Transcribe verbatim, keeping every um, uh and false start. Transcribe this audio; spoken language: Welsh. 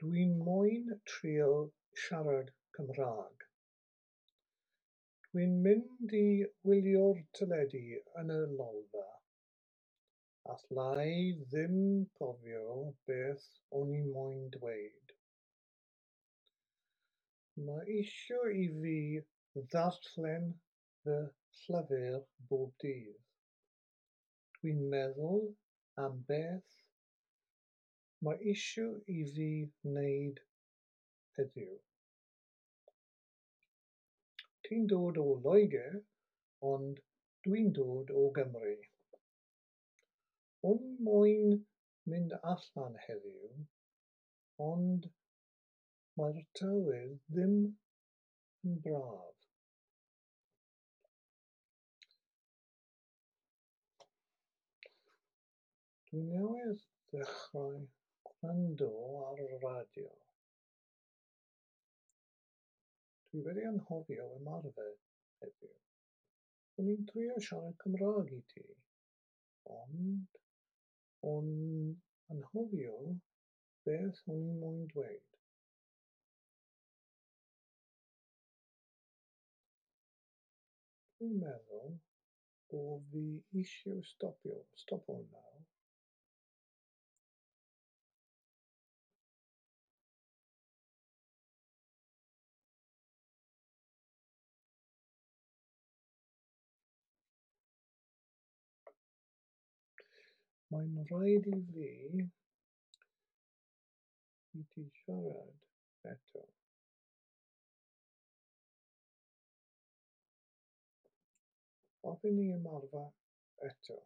Dwi'n moyn trio siarad Cymraeg. Dwi'n mynd i wylio'r teledu yn y lolfa. Alla i ddim cofio beth o'n i moyn dweud. Mae isio i fi ddarllen fy llyfr bob dydd. Dwi'n meddwl am beth mae isio i fi wneud heddiw. Ti'n dod o Loegr, ond dwi'n dod o Gymru. O'n i moyn mynd allan heddiw, ond mae'r tywydd ddim yn braf. Dwi newydd ddechrau gwrando ar y radio. Dwi wedi anghofio ymarfer heddiw. O'n i'n trio siarad Cymraeg i ti, ond o'n anghofio beth o'n i moyn dweud. Dwi'n meddwl bo' fi eisiau stopio stopo nawr. Mae'n rhaid i fi i ti siarad eto. Hoffen ni ymarfer eto.